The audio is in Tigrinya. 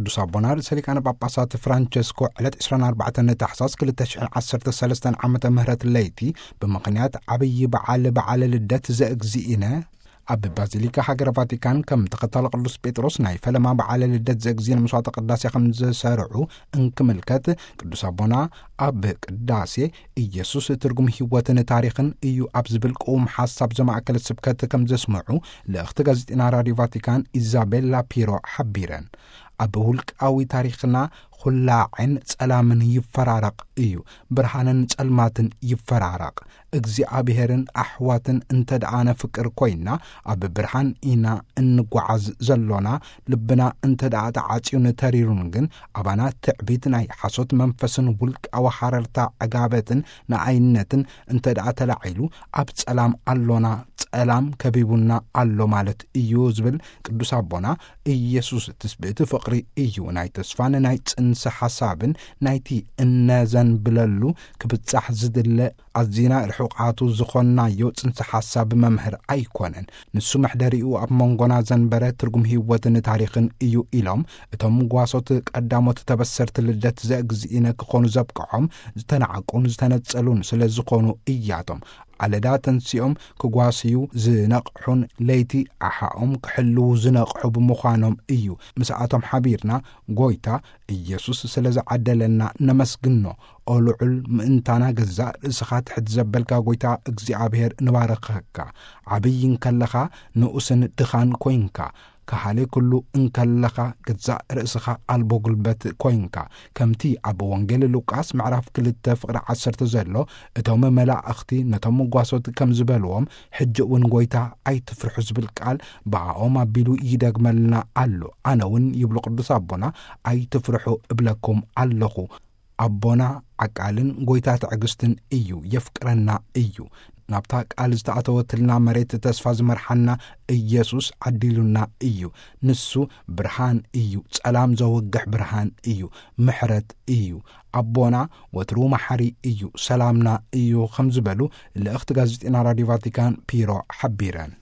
ቅዱስ ኣቦና ርእሰ ሊቃነ ጳጳሳት ፍራንቸስኮ ዕለት ዕስራን ኣርባዕተን ታሕሳስ ክልተ ሽሕን ዓሰርተ ሰለስተን ዓመተ ምህረት ለይቲ ብምኽንያት ዓብዪ በዓል በዓለ ልደት ዘእግዚእነ ኣብ ባዚሊካ ሃገረ ቫቲካን ከም ተኸታሊ ቅዱስ ጴጥሮስ ናይ ፈለማ በዓለ ልደት ዘእግዚእነ መስዋዕተ ቅዳሴ ከም ዝሰርዑ እንክምልከት፣ ቅዱስ ኣቦና ኣብ ቅዳሴ ኢየሱስ ትርጉም ህይወትን ታሪኽን እዩ ኣብ ዝብል ቅዉም ሓሳብ ዘማእከለ ስብከት ከም ዘስምዑ ልእኽቲ ጋዜጠኛ ራዲዮ ቫቲካን ኢዛቤላ ፒሮ ሓቢረን። ኣብ ውልቃዊ ታሪኽና ኹላዕን ጸላምን ይፈራረቕ እዩ። ብርሃንን ጸልማትን ይፈራረቕ። እግዚኣብሔርን ኣሕዋትን እንተ ደኣ ነፍቅር ኮይና፣ ኣብ ብርሃን ኢና እንጓዓዝ ዘሎና። ልብና እንተ ደኣ ተዓጽዩን ተሪሩን ግን፣ ኣባና ትዕቢት፣ ናይ ሓሶት መንፈስን ውልቃዊ ሃረርታ ዕጋበትን ንኣይነትን እንተ ደኣ ተላዒሉ፣ ኣብ ጸላም ኣሎና፣ ጸላም ከቢቡና ኣሎ ማለት እዩ ዝብል ቅዱስ ኣቦና፣ ኢየሱስ ትስብእቲ ፍቕሪ እዩ። ናይ ተስፋን ናይ ጽንሰ ሓሳብን ናይቲ እነዘንብለሉ ክብጻሕ ዝድለ ኣዚና ርሑቓቱ ዝኾንናዮ ጽንሰ ሓሳብ መምህር ኣይኮነን። ንሱ መሕደሪኡ ኣብ መንጎና ዘንበረ ትርጉም ህይወትን ታሪኽን እዩ ኢሎም እቶም ጓሶት ቀዳሞት ተበሰርቲ ልደት ዘእግዚእነ ክኾኑ ዘብቅዖም ዝተናዕቁን ዝተነጸሉን ስለ ዝኾኑ እያቶም ኣለዳ ተንሲኦም ክጓስዩ ዝነቕሑን ለይቲ ኣሓኦም ክሕልዉ ዝነቕሑ ብምዃኖም እዩ። ምስኣቶም ሓቢርና ጎይታ ኢየሱስ ስለ ዝዓደለና ነመስግኖ። ኦ ልዑል ምእንታና ገዛእ ርእስኻ ትሕት ዘበልካ ጎይታ እግዚኣብሔር ንባረኸካ። ዓብይ እንከለኻ ንኡስን ድኻን ኮይንካ። ከሃሊ ኩሉ እንከለኻ ገዛእ ርእስኻ ኣልቦ ጉልበት ኮይንካ። ከምቲ ኣብ ወንጌል ሉቃስ ምዕራፍ ክልተ ፍቕሪ ዓሰርተ ዘሎ፣ እቶም መላእኽቲ ነቶም ጓሶት ከም ዝበልዎም፣ ሕጂ እውን ጎይታ ኣይትፍርሑ ዝብል ቃል ብኣኦም ኣቢሉ ይደግመልና ኣሎ። ኣነ እውን ይብሉ ቅዱስ ኣቦና ኣይትፍርሑ እብለኩም ኣለኹ። ኣቦና ዓቃልን ጎይታ ትዕግስትን እዩ፣ የፍቅረና እዩ። ናብታ ቃል ዝተኣተወትልና መሬት ተስፋ ዝመርሓና ኢየሱስ ዓዲሉና እዩ። ንሱ ብርሃን እዩ፣ ጸላም ዘወግሕ ብርሃን እዩ፣ ምሕረት እዩ። ኣቦና ወትሩ መሓሪ እዩ፣ ሰላምና እዩ ከም ዝበሉ ልእኽቲ ጋዜጠኛ ራዲዮ ቫቲካን ፒሮ ሓቢረን።